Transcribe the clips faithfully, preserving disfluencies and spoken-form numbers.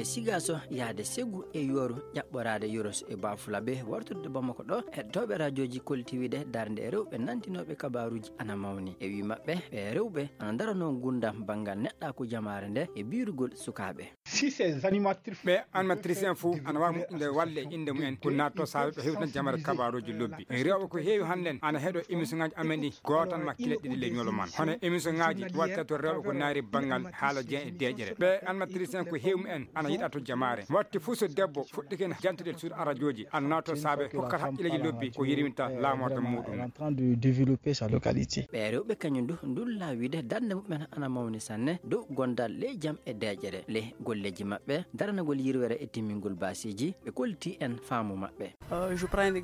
Sigaso yahde Segu e Yooru, ƴaɓɓoraade Yoros e Bafulabe, wartude Bamako ɗo, heɗotooɓe rajooji kolliti wiide darnde e rewɓe nantinooɓe kabaaruuji ana mawni. E wii maɓɓe, ɓee rewɓe ana ndaranoo ngurndan banngal neɗɗaaku jamaare nde e biirugol sukaaɓe. Si ces animatrices Ɓee animatrice en fof ana waawi moƴƴinde walle e innde mumen, ko naatto saabe ɓe hewtina jamaare kabaaruuji lobbi. Rewɓe ko heewi hannden ana heɗo émission ŋaaji amen ɗi gootan ma kile ɗiɗi ley ñolo man. Hono émission ŋaaji watta to rewɓe ko naari banngal haala jeyan e deeƴere. Ɓee animatrice en ko heewi mumen ana yiɗa to jamaare. Watti fof so debbo fuɗɗike en jantude suudu arajooji, ana naatto saabe hokkat haqqilleeji lobbi ko yirwinta laamorde muɗum. En train de développer sa localité. Ɓee rewɓe kañum du ndulla wiide darnde mumen ana mawni sanne dow gondal ley jam e deeƴere. Ley golleeji maɓɓe, daranagol yirwere e timmingol baasiiji, ɓe kolliti en faamu maɓɓe.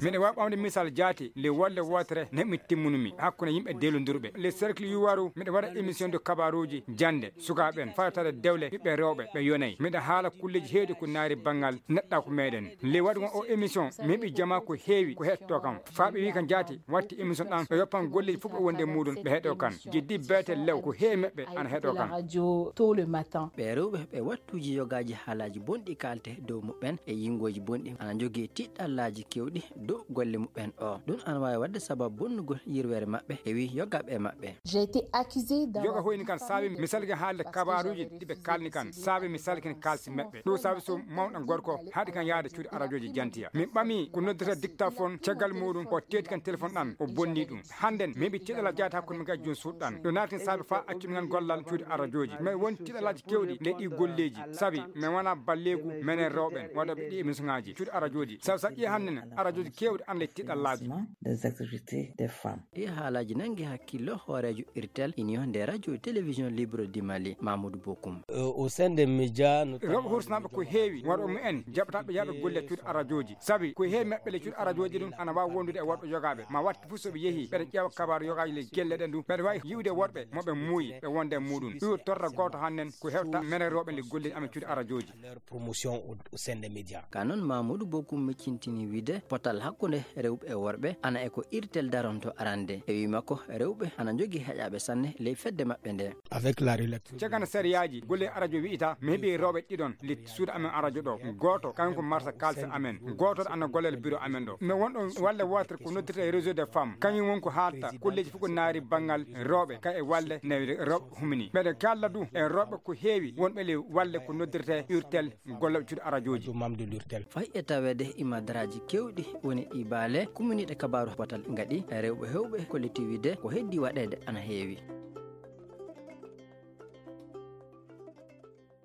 Miɗa waawi ɓamde misal jaati, le wolle wootere neɓmi timmunumi hakkunde yimɓe deelondurɓe. Le cercle yuwaru, miɗa waɗa émission de kabaaruuji jannde, sukaaɓe en, fawtaade dewle, ɓiɓɓe rewɓe, ɓe yonay. Miɗa haala kulleeji heewɗi ko naari banngal neɗɗaaku meɗen. Le waɗugol o émission, mi heɓi jama ko heewi ko heɗotoo kam. Faa ɓe wii kam jaati, watti émission ɗan, ɓe yoppan golleeji fof ɓe wonde muɗum, ɓe heɗoo kan. Jeddi beete lew, ko heewi maɓɓe ana heɗoo kan. Radio tôt le matin. Ɓee rewɓe ɓe wattuuji yogaaji haalaaji bonɗi kaalte dow muɓɓen e yingooji bonɗi ana njogii tiɗɗallaaji keewɗi dow golle muɓɓen o. Ɗum ana waawi waɗde sababu bonnugol yirwere maɓɓe e wii yogaaɓe e maɓɓe. J'ai été accusé d'avoir Yoga hoyni kan saabi mi salki haalde kabaaruuji ɗi ɓe kaalni kan, saabi mi salkini kaalsi maɓɓe. Ɗum saabi so mawɗo gorko haɗi kan yahde cuuɗi arajooji jantiya. Min ɓami ko noddata dictaphone, caggal muɗum o teeti kan téléphone ɗan, o bonni ɗum. Hannden mi heɓi tiɗalla jaati hakkunde min kadi jooni suuɗ ɗan. Ɗum naati saabi faa accu min gollal cuuɗi arajooji. Min woni tiɗallaaji keewɗi ley ɗi golleeji, sabi min wona balleegu menen rewɓen waɗooɓe ɗi émission ŋaaji cuuɗi arajooji. Sabi so ƴii hannden arajooji keewɗi ana ley tiɗallaaji. Des activités des femmes. Ɗi haalaaji nangi hakkillo hooreejo irtel Union des radios et télévisions libres du Mali, Mamoudou Bokoum. Au sein des médias, rewɓe hursinaaɓe ko heewi worɓe mumen jaɓataaɓe yahɓe golle cuuɗi arajooji, sabi ko heewi maɓɓe le cuuɗi arajooji ɗum ana waawi wondude e worɓe yogaaɓe. Ma watti fof so ɓe yehi ɓeɗa ƴeewa kabaaru yogaaji le gelle ɗen ɗum, ɓeɗa waawi yiwde worɓe mo ɓe muuyi ɓe wonde e muɗum. Ɗum torra gooto hannden ko hewta menen rewɓe le golle amen cuuɗi arajooji. Leur promotion au, au sein des médias. Ka noon Mamoudou Bokoum miccintini wiide potal hakkunde rewɓe e worɓe ana e ko irtel daronto arande. E wii makko rewɓe ana njogii heƴaaɓe sanne ley fedde maɓɓe nde. Avec la relecture. Caggal sariyaaji golle arajo wi'ita mi heɓi rewɓe ɗiɗon le suudu amen arajo ɗo. Gooto kañum ko marsa kaalisi amen. Gooto ana gollal biro amen ɗo. Mi wonɗo walle wootere ko noddirta e réseau des femmes. Kañum won ko haalta kulleeji fof ko naari banngal rewɓe kay e walle ne rewɓe humini. Mbeɗa kalla du e rewɓe ko heewi wonɓe le walle ko noddirta e urtel golle cuuɗi arajooji. Membre de l'urtel. Fay e taweede imadaraaji keewɗi woni ɗi baale kuminiiɗe kabaaru potal ngaɗi rewɓe heewɓe kolliti wiide ko heddi waɗeede ana heewi.